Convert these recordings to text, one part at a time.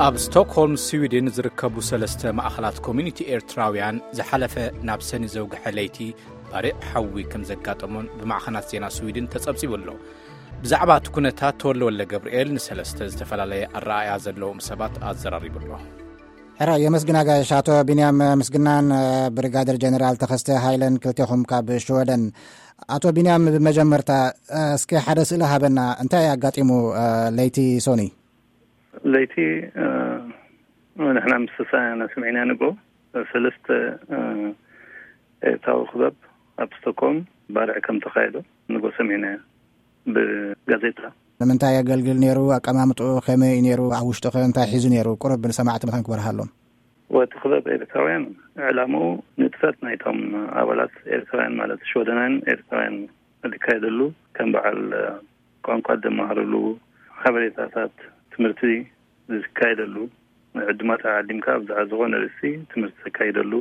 ኣብ ስቶክሆልም ስዊድን ዝርከቡ ሰለስተ ማእኸላት ኮሚኒቲ ኤርትራውያን ዝሓለፈ ናብ ሰኒ ዘውግሐ ለይቲ ባርዕ ሓዊ ከም ዘጋጠሞን ብማዕኸናት ዜና ስዊድን ተጸብጺቡ ኣሎ። ብዛዕባ እቲ ኩነታት ተወልደ ወልደ ገብርኤል ንሰለስተ ዝተፈላለየ ኣረኣእያ ዘለዎም ሰባት ኣዘራሪቡ ኣሎ። ሕራይ የመስግን ኣጋይሽ። ኣቶ ቢንያም ምስግናን ብሪጋደር ጀነራል ተኸስተ ሃይለን ክልቴኹም ካብ ሽወደን። ኣቶ ቢንያም ብመጀመርታ እስኪ ሓደ ስእሊ ሃበና፣ እንታይ ኣጋጢሙ ለይቲ ሶኒ? ለይቲ ንሕና ምስ ተሰናና ስምዒና ንጎ ሰለስተ ኤርትራዊ ክበብ ኣብ ስቶኮም ባርዕ ከም ተኻየዶ ንጎ ሰሚዕና ብጋዜጣ። ንምንታይ የገልግል ነይሩ? ኣቀማምጥኡ ከመይ እዩ ነይሩ? ኣብ ውሽጡ ከ እንታይ ሒዙ ነይሩ? ቁሩብ ንሰማዕቲ መታን ክበርሃሎም። ወቲ ክበብ ኤርትራውያን ዕላምኡ ንጥፈት ናይቶም ኣባላት ኤርትራውያን ማለት ሽወደናውያን ኤርትራውያን ዝካየደሉ ከም በዓል ቋንቋ ዘመሃርሉ ሓበሬታታት ትምህርቲ ዝካየደሉ ዕድማት ዓዲምካ ብዛዕባ ዝኾነ ርእሲ ትምህርቲ ዘካይደሉ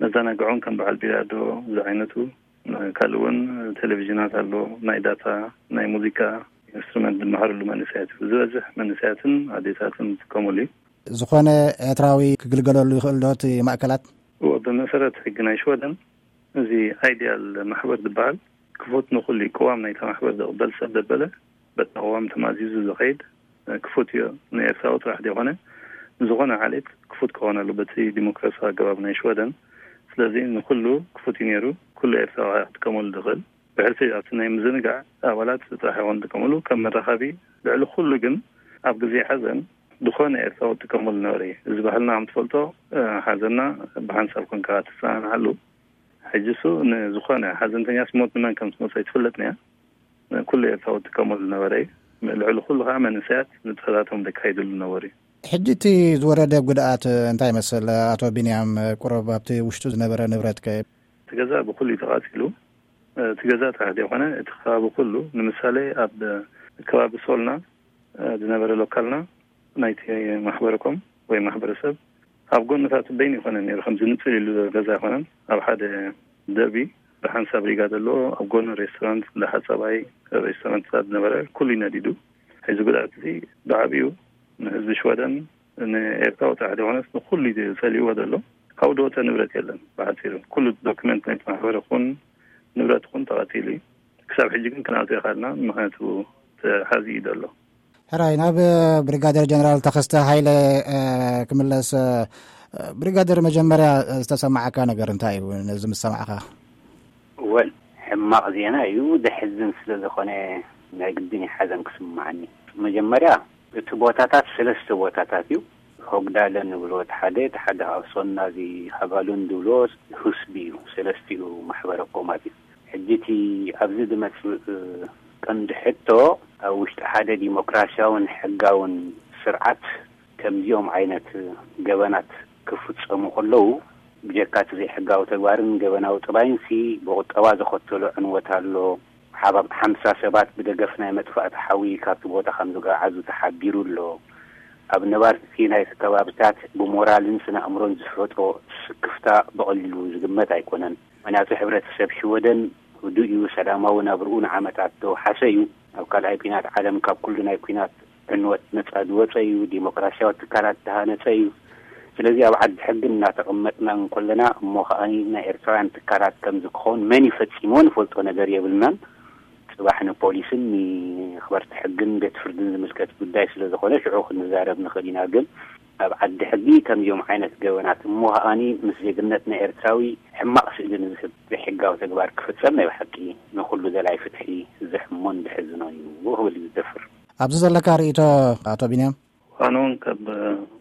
መዘናግዖን ከም በዓል ቢላዶ ዝዓይነቱ ካልእ እውን ቴሌቪዥናት ኣሎ ናይ ዳታ ናይ ሙዚቃ ኢንስትሩመንት ዝመሃርሉ መንእሰያት ዝበዝሕ መንእሰያትን ኣዴታትን ዝጥቀሙሉ እዩ። ዝኾነ ኤርትራዊ ክግልገለሉ ይኽእል ዶ እቲ ማእከላት? እዎ ብመሰረት ሕጊ ናይ ሽወደን እዚ ኣይዲያል ማሕበር ዝበሃል ክፉት ንኹሉ እዩ። ቅዋም ናይታ ማሕበር ዘቕበል ሰብ ዘበለ በታ ቅዋም ተማዚዙ ዝኸይድ ክፉት እዩ። ንኤርትራዊ ጥራሕ ዘይኮነ ንዝኾነ ዓሌት ክፉት ክኾነሉ በቲ ዲሞክራሲያዊ ኣገባብ ናይ ሽወደን። ስለዚ ንኹሉ ክፉት እዩ ነይሩ። ኩሉ ኤርትራዊ ክጥቀመሉ ዝኽእል ብሕልፊ ኣብቲ ናይ ምዝንጋዕ ኣባላት ጥራሕ ይኾን ዝጥቀመሉ ከም መራኸቢ። ልዕሊ ኩሉ ግን ኣብ ግዜ ሓዘን ዝኾነ ኤርትራዊ ዝጥቀመሉ ነበረ እዩ። እዚ ባህልና ከም ትፈልጦ ሓዘንና ብሓንሳብ ኮንካ ትሰናንዓሉ። ሕጂ እሱ ንዝኾነ ሓዘንተኛስ ሞት ንመን ከም ትመጾ ኣይትፍለጥን እያ። ኩሉ ኤርትራዊ ዝጥቀመሉ ነበረ እዩ። ልዕሊ ኩሉ ከዓ መንእሰያት ንጥፈታቶም ዘካይድሉ ነበሩ እዩ። ሕጂ እቲ ዝወረደ ጉድኣት እንታይ ይመስል ኣቶ ቢንያም? ቁሩብ ኣብቲ ውሽጡ ዝነበረ ንብረት ከ? እቲ ገዛ ብኩሉ እዩ ተቓጺሉ። እቲ ገዛ ጥራሕ ዘይኮነ እቲ ከባቢ ኩሉ ንምሳሌ ኣብ ከባቢ ሶልና ዝነበረ ሎካልና ናይቲ ማሕበረኮም ወይ ማሕበረሰብ ኣብ ጎንታቱ በይኑ ይኮነ ነይሩ ከም ዝንፅል ኢሉ ዘሎ ገዛ ኣይኮነን። ኣብ ሓደ ደርቢ ብሓንሳብ ሪጋ ዘለዎ ኣብ ጎኑ ሬስቶራንት እንዳ ሓፃባይ ሬስቶራንትታት ዝነበረ ኩሉ ነዲዱ። ሕዚ ጉድኣት እዚ ብዓብዩ ንህዝቢ ሽወደን ንኤርትራዊ ጥራሕ ዘይኮነስ ንኩሉ እዩ ጸሊእዎ ዘሎ። ካብኡ ዝወፀ ንብረት የለን። ብሓፂሩ ኩሉ ዶክመንት ናይቲ ማሕበር ይኹን ንብረት ይኹን ተቐቲሉ እዩ። ክሳብ ሕጂ ግን ክንኣትዎ ይኸኣልና ምክንያቱ ተሓዚ እዩ ዘሎ። ሕራይ ናብ ብሪጋደር ጀነራል ተኸስተ ሃይለ ክምለስ። ብሪጋደር መጀመርያ ዝተሰማዓካ ነገር እንታይ እዩ ነዚ ምስ ሰማዕካ? ወል ሕማቕ ዜና እዩ። ደሕዝን ስለ ዝኾነ ናይ ግድን እዩ ሓዘን ክስምዓኒ። መጀመርያ እቲ ቦታታት ሰለስተ ቦታታት እዩ። ሆግዳለ ንብሎ እቲ ሓደ፣ እቲ ሓደ ካብ ሶና እዚ ሃጋሉን ዝብሎ ሁስቢ እዩ። ሰለስቲኡ ማሕበረ ኮማት እዩ። ሕጂ እቲ ኣብዚ ዝመጽእ ቀንዲ ሕቶ ኣብ ውሽጢ ሓደ ዲሞክራሲያውን ሕጋውን ስርዓት ከምዚኦም ዓይነት ገበናት ክፍጸሙ ከለዉ ብጀካ እቲ ዘይሕጋዊ ተግባርን ገበናዊ ጥባይንሲ ብቁጠባ ዘኸተሎ ዕንወት ኣሎ። ሓባ ሓምሳ ሰባት ብደገፍ ናይ መጥፋእቲ ሓዊ ካብቲ ቦታ ከም ዝገዓዙ ተሓቢሩ ኣሎ። ኣብ ነባርቲ ናይቲ ከባብታት ብሞራልን ስነ ኣእምሮን ዝፈጥሮ ስክፍታ ብቐሊሉ ዝግመት ኣይኮነን። ምኽንያቱ ሕብረተሰብ ሽወደን ህዱእ እዩ፣ ሰላማዊ ናብርኡ ንዓመታት ተወሓሰ እዩ። ኣብ ካልኣይ ኲናት ዓለም ካብ ኩሉ ናይ ኲናት ዕንወት ነጻ ዝወጸ እዩ፣ ዲሞክራሲያዊ ትካላት ዝተሃነጸ እዩ። ስለዚ ኣብ ዓዲ ሕጊ እናተቐመጥና እንከለና እሞ ከኣ ናይ ኤርትራውያን ትካላት ከምዚ ክኸውን መን እዩ ፈጺምዎ ንፈልጦ ነገር የብልናን። ጽባሕ ንፖሊስን ንመኽበርቲ ሕግን ቤት ፍርድን ዝምልከት ጉዳይ ስለ ዝኾነ ሽዑ ክንዛረብ ንኽእል ኢና። ግን ኣብ ዓዲ ሕጊ ከምዚኦም ዓይነት ገበናት እሞ ከኣ ምስ ዜግነት ናይ ኤርትራዊ ሕማቕ ስእሊ ንዝህብ ዘይሕጋዊ ተግባር ክፍጸም ናይ ብሓቂ ንኹሉ ደላይ ፍትሒ ዘሕሞን ዘሕዝኖን እዩ ክብል እዩ ዝደፍር። ኣብዚ ዘለካ ርእይቶ ኣቶ ቢንያም? ኣነ እውን ካብ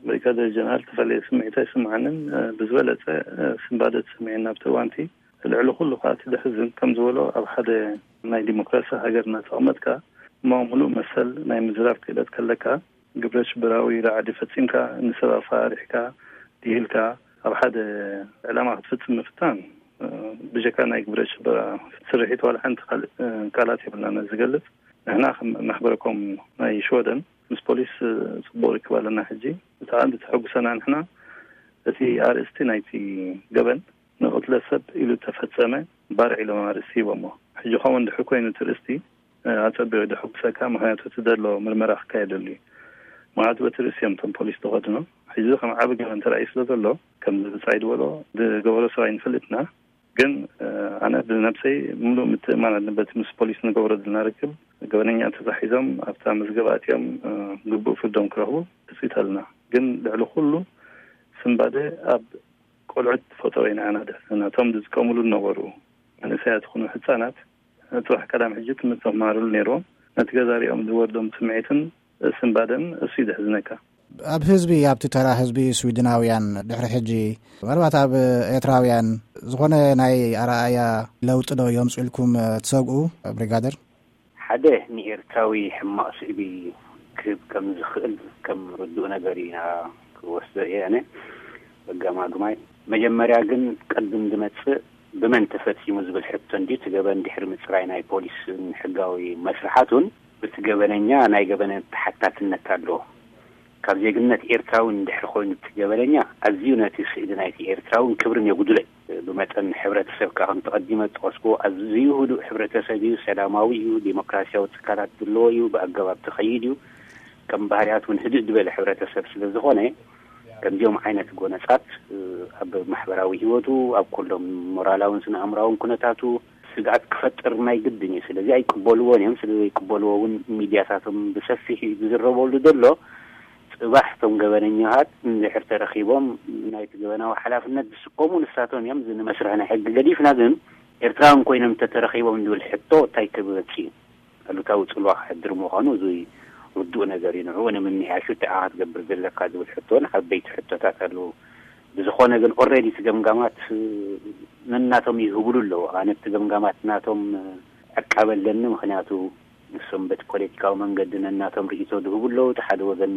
ብሪጋደር ጀነራል ተፈለየ ስምዒት ኣይስምዓንን። ብዝበለጸ ስንባደ ተሰሚዑኒ ኣብቲ እዋንቲ። ልዕሊ ኩሉ ከኣ እቲ ዘሕዝን ከም ዝበሎ ኣብ ሓደ ናይ ዲሞክራሲ ሃገር እናተቐመጥካ እሞ ምሉእ መሰል ናይ ምዝራብ ክእለት ከለካ ግብረ ሽበራዊ ራዕዲ ፈጺምካ ንሰብ ኣፈራሪሕካ ድሂልካ ኣብ ሓደ ዕላማ ክትፍጽም ምፍታን ብጀካ ናይ ግብረ ሽበራ ስርሒት ዋላ ሓንቲ ካልእ ቃላት የብልናን ዝገልጽ። ንሕና ከም ማሕበረኮም ናይ ሽወደን ምስ ፖሊስ ጽቡቕ ርክብ ኣለና። ሕጂ እቲ ዓንዲ ተሐጉሰና ንሕና እቲ ኣርእስቲ ናይቲ ገበን ንቕትለት ሰብ ኢሉ ተፈጸመ ባርዕ ኢሎም ኣርእስቲ ሂቦሞ። ሕጂ ከምኡ እንድሕር ኮይኑ እቲ ርእስቲ ኣጸቢቑ እዩ ዘሐጉሰካ፣ ምኽንያቱ እቲ ዘሎ ምርመራ ክካየደሉ እዩ። ማለት በቲ ርእሲ እዮም እቶም ፖሊስ ተኸድኖ። ሕዚ ከም ዓቢ ገበን ተራእዩ ስለ ዘሎ፣ ከምዚ ብጻይ ዝበሎ ዝገበሮ ሰብ ኣይንፈልጥና። ግን ኣነ ብነብሰይ ምሉእ ምትእማን ኣለበት። ምስ ፖሊስ ንገብሮ ዘለና ርክብ፣ ገበነኛ ተታሒዞም ኣብታ መዝገብ ኣትዮም ግቡእ ፍርዶም ክረኽቡ ትጽቢት ኣለና። ግን ልዕሊ ኩሉ ስንባደ ኣብ ቆልዑት ፈጠሮ ኢና። ኣና ደሕና እቶም ዝጥቀምሉ ዝነበሩ መንእሰያት ይኹኑ ህጻናት፣ ጽባሕ ቀዳም ሕጂ ትምህርቲ ክመሃርሉ ነይርዎም። ነቲ ገዛ ሪኦም ዝወርዶም ስምዒትን ስንባደን እሱ እዩ ዘሕዝነካ። ኣብ ህዝቢ፣ ኣብቲ ተራ ህዝቢ ስዊድናውያን ድሕሪ ሕጂ፣ ምናልባት ኣብ ኤርትራውያን ዝኾነ ናይ ኣረኣእያ ለውጢ ዶ የምጽኡ ኢልኩም ትሰግኡ? ብሪጋደር። ሓደ ንኤርትራዊ ሕማቕ ስእሊ ክህብ ከም ዝኽእል ከም ርዱእ ነገር ኢና ክወስዶ እየ ኣነ። በጋማግማይ መጀመርያ ግን ቅድም ዝመጽእ ብመን ተፈጺሙ ዝብል ሕቶ እንዲ እቲ ገበን ድሕሪ ምጽራይ ናይ ፖሊስን ሕጋዊ መስርሓቱን፣ ብቲ ገበነኛ ናይ ገበነ ተሓታትነት ኣሎ። ካብ ዜግነት ኤርትራዊ እንድሕር ኮይኑ እቲ ገበነኛ፣ ኣዝዩ ነቲ ስእሊ ናይቲ ኤርትራውን ክብርን የጉድሎ እዩ። ብመጠን ሕብረተሰብ ከኣ ከም ተቐዲመ ዝጠቐስኩዎ ኣዝዩ ህዱእ ሕብረተሰብ እዩ፣ ሰላማዊ እዩ፣ ዴሞክራሲያዊ ትካላት ዘለዎ እዩ፣ ብኣገባብ ትኸይድ እዩ። ከም ባህርያት እውን ህድእ ዝበለ ሕብረተሰብ ስለ ዝኾነ፣ ከምዚኦም ዓይነት ጎነጻት ኣብ ማሕበራዊ ህይወቱ፣ ኣብ ኩሎም ሞራላውን ስነ ኣእምራውን ኩነታቱ ስግኣት ክፈጥር ናይ ግድን እዩ። ስለዚ ኣይቅበልዎን እዮም። ስለ ዘይቅበልዎ እውን ሚድያታቶም ብሰፊሕ እዩ ዝዝረበሉ ዘሎ። ጽባሕ እቶም ገበነኛታት እንድሕር ተረኺቦም ናይቲ ገበናዊ ሓላፍነት ዝስከሙ ንሳቶም እዮም። እዚ ንመስርሕ ናይ ሕጊ ገዲፍና ግን ኤርትራውያን ኮይኖም እንተተረኺቦም ዝብል ሕቶ እንታይ ክመጽእ እዩ? ኣሉታዊ ጽልዋ ክሕድር ምዃኑ እዚ ርዱእ ነገር እዩ። ንዕኡ ንምምሕያሹ እንታይ ኢኻ ክትገብር ዘለካ ዝብል ሕቶን ዓበይቲ ሕቶታት ኣለዉ። ብዝኾነ ግን ኦልሬዲ እቲ ገምጋማት ነናቶም ይህብሉ ኣለዉ። ኣነ እቲ ገምጋማት ናቶም ዕቃበ ኣለኒ። ምኽንያቱ ንሶም በቲ ፖለቲካዊ መንገዲ ነናቶም ርእይቶ ዝህቡ ኣለዉ። እቲ ሓደ ወገን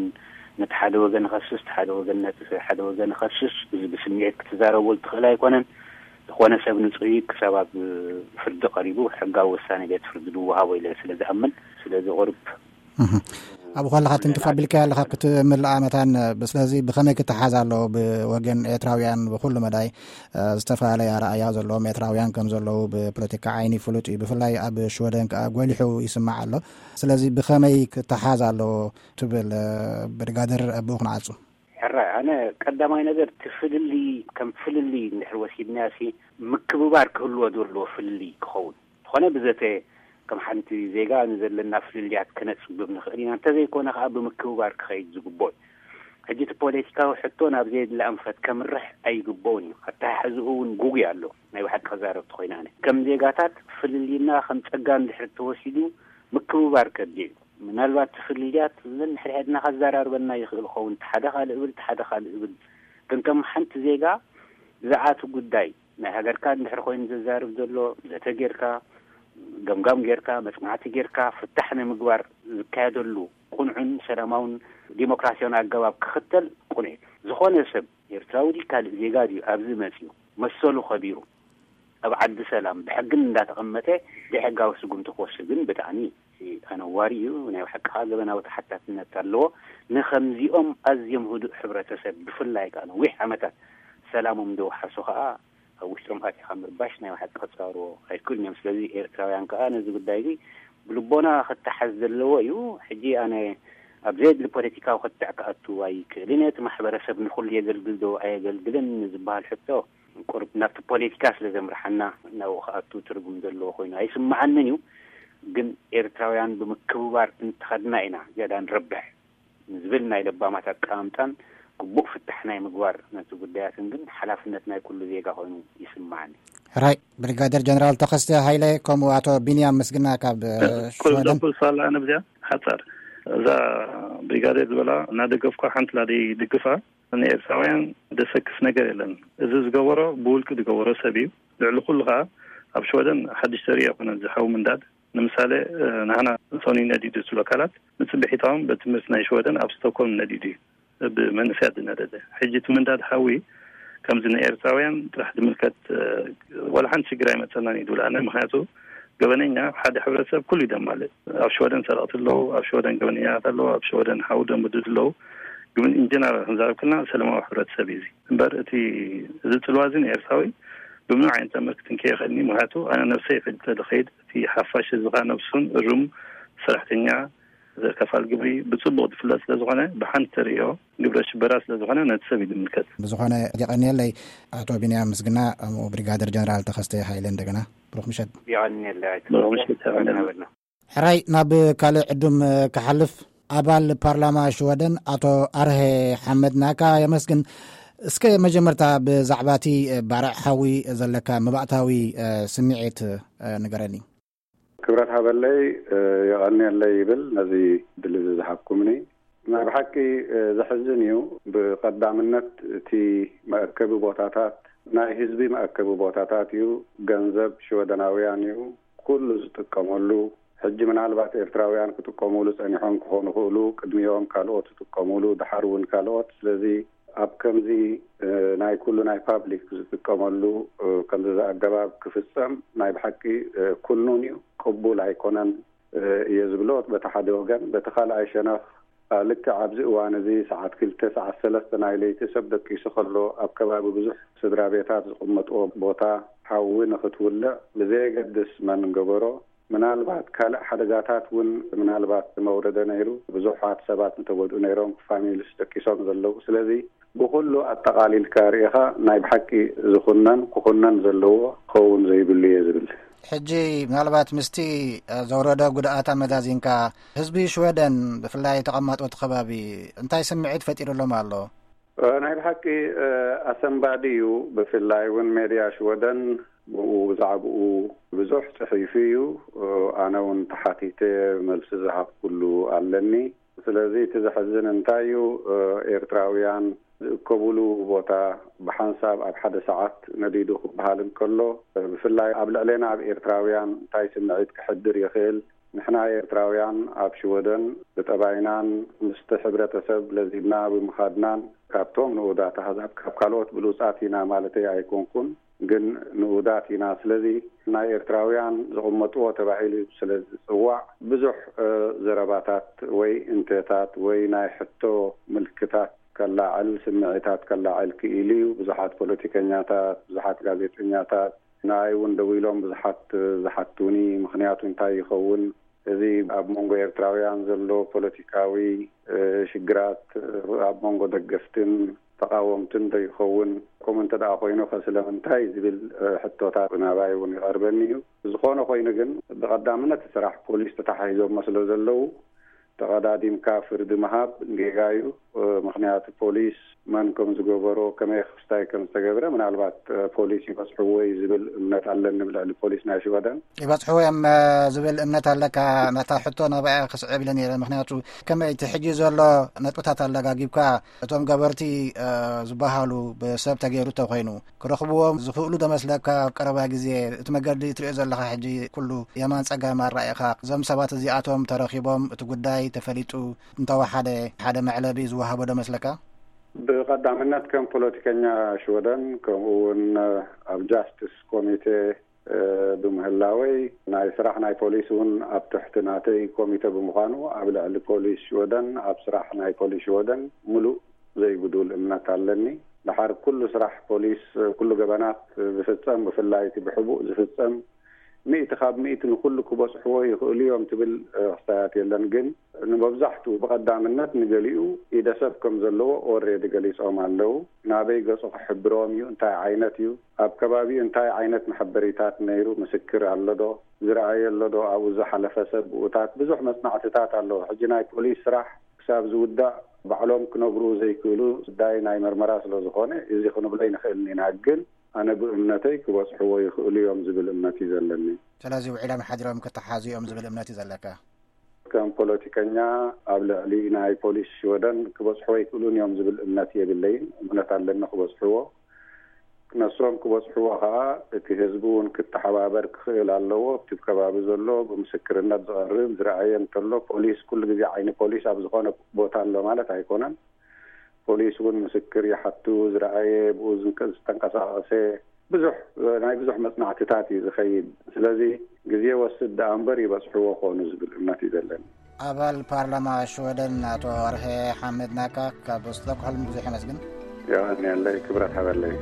ነቲ ሓደ ወገን ይኸስስ፣ እቲ ሓደ ወገን ነቲ ሓደ ወገን ይኸስስ። እዚ ብስምዒት ክትዛረበሉ ትኽእል ኣይኮነን። ዝኾነ ሰብ ንጹህ እዩ። ክሳብ ኣብ ፍርዲ ቀሪቡ ሕጋዊ ውሳኔ ቤት ፍርዲ ዝወሃቦ ኢለ ስለ ዝኣምን፣ ስለዚ ቁሩብ እህ። ኣብ ኳልኻ ትንክፍ ኣቢልካዮ ኣለኻ ክትምልኣ መታን። ስለዚ ብኸመይ ክተሓዝ ኣለዎ ብወገን ኤርትራውያን ብኹሉ መዳይ? እ፣ ዝተፈላለየ ኣረኣእያ ዘለዎም ኤርትራውያን ከም ዘለዉ ብፖለቲካ ዓይኒ ፍሉጥ እዩ። ብፍላይ ኣብ ሽወደን ከኣ ጎሊሑ ይስማዕ ኣሎ። ስለዚ ብኸመይ ክተሓዝ ኣለዎ ትብል? እ፣ ብርጋደር ኣብኡ ክንዓጹ። ሕራይ፣ ኣነ ቀዳማይ ነገር እቲ ፍልልይ ከም ፍልልይ እንድሕር ወሲድናዮ ሲ ምክብባር ክህልዎ ዘለዎ ፍልልይ ክኸውን። ዝኾነ ብዘተ ከም ሓንቲ ዜጋ ንዘለና ፍልልያት ክነጽብብ ንኽእል ኢና። እንተዘይኮነ ከኣ ብምክብባር ክኸይድ ዝግብኦ እዩ። ሕጂ እቲ ፖለቲካዊ ሕቶ ናብ ዘየድሊ ኣንፈት ከምርሕ ኣይግብኦን እዩ። ኣተሓሕዝኡ እውን ጉጉይ ኣሎ። ናይ ብሓቂ ክዛረብ ተኾይነ ኣነ ከም ዜጋታት ፍልልይና ከም ጸጋ እንድሕር ተወሲዱ ምክብባር ከድልዮ እዩ። ምናልባት እቲ ፍልልያት ነንሕድሕድና ከዘራርበና ይኽእል ኸውን፣ እቲ ሓደ ካልእ እብል፣ እቲ ሓደ ካልእ እብል። ግን ከም ሓንቲ ዜጋ ብዛዕባ እቲ ጉዳይ ናይ ሃገርካ እንድሕር ኮይኑ ዘዛርብ ዘሎ፣ ዘተ ጌርካ፣ ገምጋም ጌርካ፣ መጽናዕቲ ጌርካ፣ ፍታሕ ንምግባር ዝካየደሉ ቁኑዕን ሰላማውን ዲሞክራሲያውን ኣገባብ ክኽተል ቁኑዕ እዩ። ዝኾነ ሰብ ኤርትራዊ ድዩ ካልእ ዜጋ ድዩ ኣብዚ መጺኡ መሰሉ ከቢሩ ኣብ ዓዲ ሰላም ብሕግን እንዳተቐመጠ ዘይሕጋዊ ስጉምቲ ክወስድ ግን ብጣዕሚ ኣነዋሪ እዩ። ናይ ብሓቂ ከኣ ገበናዊ ተሓታትነት ኣለዎ። ንኸምዚኦም ኣዝዮም ህዱእ ሕብረተሰብ ብፍላይ ከኣ ነዊሕ ዓመታት ሰላሞም ዘውሓሱ ከኣ ኣብ ውሽጦም ኣቲኻ ምርባሽ ናይ ብሓቂ ክጻወርዎ ኣይክእሉን እዮም። ስለዚ ኤርትራውያን ከኣ ነዚ ጉዳይ እዚ ብልቦና ክተሓዝ ዘለዎ እዩ። ሕጂ ኣነ ኣብ ዘየድሊ ፖለቲካዊ ክትዕ ክኣቱ ኣይክእልን እየ። እቲ ማሕበረሰብ ንኹሉ የገልግል ዶ ኣየገልግልን ዝበሃል ሕቶ ቁሩብ ናብቲ ፖለቲካ ስለ ዘምርሓና ናብኡ ክኣቱ ትርጉም ዘለዎ ኮይኑ ኣይስምዓንን እዩ። ግን ኤርትራውያን ብምክብባር እንተኸድና ኢና ዝያዳ ንረብሕ ንዝብል ናይ ለባማት ኣቀማምጣን ግቡእ ፍታሕ ናይ ምግባር ነቲ ጉዳያትን ግን ሓላፍነት ናይ ኩሉ ዜጋ ኮይኑ ይስምዓኒ። ሕራይ ብሪጋደር ጀነራል ተኸስተ ሃይለ ከምኡ ኣቶ ቢንያም ምስግና ካብ፣ እ፣ ቁሩብ ሽወደን። ዘብል ሳላ ኣነ ብዚኣ ሓጻር እዛ ብሪጋደር ዝበላ እናደገፍኳ ሓንቲ ላደይ ድግፋ ንኤርትራውያን ደሰክፍ ነገር የለን። እዚ ዝገበሮ ብውልቂ ዝገበሮ ሰብ እዩ። ልዕሊ ኩሉ ከኣ ኣብ ሽወደን ሓድሽ ተርኢ ኣይኮነን። ዝሓው ምንዳድ ንምሳሌ፣ እ፣ ናህና ሰኑይ ነዲዱ ዝብሉ ኣካላት ንጽብሒታዎም በትምህርቲ ናይ ሽወደን ኣብ ስቶኮልም ነዲዱ እዩ። ብመንእሰያት ዝነደደ። ሕጂ እቲ ምንዳድ ሓዊ ከምዚ ንኤርትራውያን ጥራሕ ዝምልከት፣ እ፣ ዋላ ሓንቲ ሽግር ኣይመጸናን እዩ ዝብል ኣነ። ምኽንያቱ ገበነኛ ሓደ ሕብረተሰብ ኩሉ እዩ ደማልእ። ኣብ ሽወደን ሰረቕቲ ኣለዉ፣ ኣብ ሽወደን ገበነኛታት ኣለዉ፣ ኣብ ሽወደን ሓዊ ደምድዱ ኣለዉ። ግን ኢንጀነራል ክንዛረብ ከለና ሰላማዊ ሕብረተሰብ እዩ እዚ። እምበር እቲ፣ እዚ ጽልዋ እዚ ንኤርትራዊ ብምንም ዓይነት ተኣምር ክትንክዮ ይኽእልኒ። ምኽንያቱ ኣነ ነብሰይ ሕጂ ተዝኸይድ እቲ ሓፋሽ ህዝብኻ ነብሱን እሩም ሰራሕተኛ ዘከፋል ግብሪ ብጽቡቕ ዝፍለጥ ስለ ዝኾነ፣ ብሓንቲ ተርእዮ ግብረ ሽበራ ስለ ዝኾነ፣ ነቲ ሰብ እዩ ዝምልከት። ብዝኾነ፣ የቐንየለይ ኣቶ ቢንያም ምስግና፣ ከምኡ ብሪጋደር ጀነራል ተኸስተ ሃይለ። እንደገና ብሩኽ ምሸት። የቐንየለይ ኣይተ ብሩኽ ምሸት፣ የቐንየለይ። ሕራይ፣ ናብ ካልእ ዕዱም ክሓልፍ፣ ኣባል ፓርላማ ሽወደን ኣቶ ኣርሄ ሓመድ ናካ የመስግን። እስከ መጀመርታ ብዛዕባ እቲ ባርዕ ሓዊ ዘለካ መባእታዊ ስምዒት ንገረኒ። ክብረት ሃበለይ፣ የቐንየለይ ይብል ነዚ ድል እዚ ዝሃብኩምኒ። ናይ ብሓቂ ዘሕዝን እዩ። ብቐዳምነት እቲ መእከቢ ቦታታት ናይ ህዝቢ መእከቢ ቦታታት እዩ። ገንዘብ ሽወደናውያን እዩ ኩሉ ዝጥቀመሉ። ሕጂ ምናልባት ኤርትራውያን ክጥቀሙሉ ጸኒሖም ክኾኑ ይኽእሉ፣ ቅድሚኦም ካልኦት ዝጥቀሙሉ፣ ድሓር እውን ካልኦት። ስለዚ ኣብ ከምዚ፣ እ፣ ናይ ኩሉ ናይ ፓብሊክ ዝጥቀመሉ፣ እ፣ ከምዚ ኣገባብ ክፍጸም ናይ ብሓቂ፣ እ፣ ኩኑን እዩ፣ ቅቡል ኣይኮነን፣ እ፣ እየ ዝብሎ። በቲ ሓደ ወገን፣ በቲ ካልኣይ ሸነኽ፣ እ፣ ልክዕ ኣብዚ እዋን እዚ ሰዓት ክልተ፣ ሰዓት ሰለስተ ናይ ለይቲ ሰብ ደቂሱ ከሎ ኣብ ከባቢ ብዙሕ ስድራ ቤታት ዝቕመጥዎ ቦታ ሓዊ ንኽትውልዕ ብዘየገድስ መን ገበሮ፣ ምናልባት ካልእ ሓደጋታት እውን ምናልባት መውረደ ነይሩ። ብዙሓት ሰባት እንተጎድኡ ነይሮም፣ ፋሚሊስ ደቂሶም ዘለዉ። ስለዚ ብኹሉ ኣጠቓሊልካ ርኢኻ ናይ ብሓቂ ዝኹነን ክኹነን ዘለዎ ክኸውን ዘይብሉ እየ ዝብል። ሕጂ ምናልባት ምስቲ ዘውረደ ጉድኣት ኣመዛዚንካ፣ ህዝቢ ሽወደን ብፍላይ ተቐማጦ እቲ ከባቢ እንታይ ስምዒት ፈጢሩሎም ኣሎ? እ፣ ናይ ብሓቂ፣ እ፣ ኣሰንባዲ እዩ። ብፍላይ እውን ሜድያ ሽወደን ብኡ ብዛዕባኡ ብዙሕ ጽሒፉ እዩ። እ፣ ኣነ እውን ተሓቲተ መልሲ ዝሃብኩሉ ኣለኒ። ስለዚ እቲ ዘሕዝን እንታይ እዩ? እ፣ ኤርትራውያን ዝእከቡሉ ቦታ ብሓንሳብ ኣብ ሓደ ሰዓት ነዲዱ ክበሃል እንከሎ፣ እ፣ ብፍላይ ኣብ ልዕሌና ኣብ ኤርትራውያን እንታይ ስምዒት ክሕድር ይኽእል? ንሕና ኤርትራውያን ኣብ ሽወደን ብጠባይናን ምስቲ ሕብረተሰብ ለዚብና ብምኻድናን ካብቶም ንኡዳት ኣህዛብ፣ ካብ ካልኦት ብሉጻት ኢና ማለተይ ኣይኮንኩን፣ ግን ንኡዳት ኢና። ስለዚ ናይ ኤርትራውያን ዝቕመጥዎ ተባሂሉ ስለ ዝጽዋዕ ብዙሕ፣ እ፣ ዘረባታት ወይ እንተታት ወይ ናይ ሕቶ ምልክታት ከላዕል፣ ስምዒታት ከላዕል ክኢሉ እዩ። ብዙሓት ፖለቲከኛታት፣ ብዙሓት ጋዜጠኛታት፣ ንኣይ እውን ደዊሎም ብዙሓት ዝሓቱኒ፣ ምኽንያቱ እንታይ ይኸውን? እዚ ኣብ መንጎ ኤርትራውያን ዘሎ ፖለቲካዊ፣ እ፣ ሽግራት፣ እ፣ ኣብ መንጎ ደገፍትን ተቓወምትን ዶ ይኸውን? ከምኡ እንተ ደኣ ኮይኑ ከ ስለምንታይ ዝብል፣ እ፣ ሕቶታት ናባይ እውን ይቐርበኒ እዩ። ዝኾነ ኮይኑ ግን ብቐዳምነት ስራሕ ፖሊስ ተታሓሒዞሞ ስለ ዘለዉ ተቐዳዲምካ ፍርዲ ምሃብ ጌጋ እዩ። እ፣ ምኽንያቱ ፖሊስ መን ከም ዝገበሮ፣ ከመይ ክስታይ ከም ዝተገብረ ምናልባት፣ እ፣ ፖሊስ ይበጽሕዎ እዩ ዝብል እምነት ኣለኒ ብልዕሊ ፖሊስ ናይ ሽወደን። ይበጽሕዎ እዮም፣ እ፣ ዝብል እምነት ኣለካ? ነታ ሕቶ ናባኣ ክስዕብ ኢለ ነይረ። ምኽንያቱ ከመይ እቲ ሕጂ ዘሎ ነጥብታት ኣለጋጊብካ እቶም ገበርቲ፣ እ፣ ዝበሃሉ ብሰብ ተገይሩ ተኾይኑ ክረኽብዎም ዝኽእሉ ዶ መስለካ? ኣብ ቀረባ ግዜ እቲ መገዲ ትሪኦ ዘለኻ ሕጂ ኩሉ የማን ጸጋም ኣረኣኢኻ እዞም ሰባት እዚኣቶም ተረኺቦም እቲ ጉዳይ ተፈሊጡ እንተወሓደ ሓደ መዕለቢ ዝወሃቦ ዶ መስለካ? ብቐዳምነት ከም ፖለቲከኛ ሽወደን ከምኡ እውን ኣብ ጃስቲስ ኮሚቴ፣ እ፣ ብምህላወይ ናይ ስራሕ ናይ ፖሊስ እውን ኣብ ትሕቲ ናተይ ኮሚቴ ብምዃኑ ኣብ ልዕሊ ፖሊስ ሽወደን ኣብ ስራሕ ናይ ፖሊስ ሽወደን ምሉእ ዘይጉዱል እምነት ኣለኒ። ድሓር ኩሉ ስራሕ ፖሊስ፣ ኩሉ ገበናት ዝፍጸም፣ ብፍላይ እቲ ብሕቡእ ዝፍጸም፣ ሚእቲ ካብ ሚእቲ ንኹሉ ክበጽሕዎ ይኽእሉ እዮም ትብል፣ እ፣ ክስታያት የለን። ግን ንመብዛሕትኡ ብቐዳምነት ንገሊኡ ኢደ ሰብ ከም ዘለዎ ኦሬዲ ገሊጾም ኣለዉ። ናበይ ገጹ ክሕብሮም እዩ? እንታይ ዓይነት እዩ? ኣብ ከባቢኡ እንታይ ዓይነት መሐበሪታት ነይሩ? ምስክር ኣሎ ዶ? ዝረኣየ ኣሎ ዶ? ኣብኡ ዝሓለፈ ሰብ ብኡታት ብዙሕ መጽናዕትታት ኣሎ። ሕጂ ናይ ፖሊስ ስራሕ ክሳብ ዝውዳእ ባዕሎም ክነግሩ ዘይክእሉ ጉዳይ ናይ መርመራ ስለ ዝኾነ እዚ ክንብሎ ኣይንኽእልን ኢና። ግን ኣነ ብእምነተይ ክበጽሕዎ ይኽእሉ እዮም ዝብል እምነት እዩ ዘለኒ። ስለዚ ውዒሎም ሓዲሮም ክተሓዙ እዮም ዝብል እምነት እዩ ዘለካ? ከም ፖለቲከኛ ኣብ ልዕሊ ናይ ፖሊስ ሽወደን ክበጽሕዎ ኣይክእሉን እዮም ዝብል እምነት የብለይን። እምነት ኣለኒ ክበጽሕዎ። ነሶም ክበጽሕዎ ከኣ እቲ ህዝቢ እውን ክተሓባበር ክኽእል ኣለዎ። ኣብቲ ከባቢ ዘሎ ብምስክርነት ዝቐርብ ዝረኣየ እንተሎ ፖሊስ ኩሉ ግዜ ዓይኒ ፖሊስ ኣብ ዝኾነ ቦታ ኣሎ ማለት ኣይኮነን። ፖሊስ እውን ምስክር ይሓቱ፣ ዝረኣየ፣ ብኡ ዝንቀ-፣ ዝተንቀሳቐሰ፣ ብዙሕ፣ ናይ ብዙሕ መጽናዕትታት እዩ ዝኸይድ። ስለዚ ግዜ ወስድ ደኣ እምበር ይበጽሕዎ ኾኑ ዝብል እምነት እዩ ዘለኒ። ኣባል ፓርላማ ሽወደን ኣቶ ኣርሄ ሓመድ ናካ ካብ ስቶክሆልም ብዙሕ የመስግን። የቐንየለይ፣ ክብረት ሃበለይ።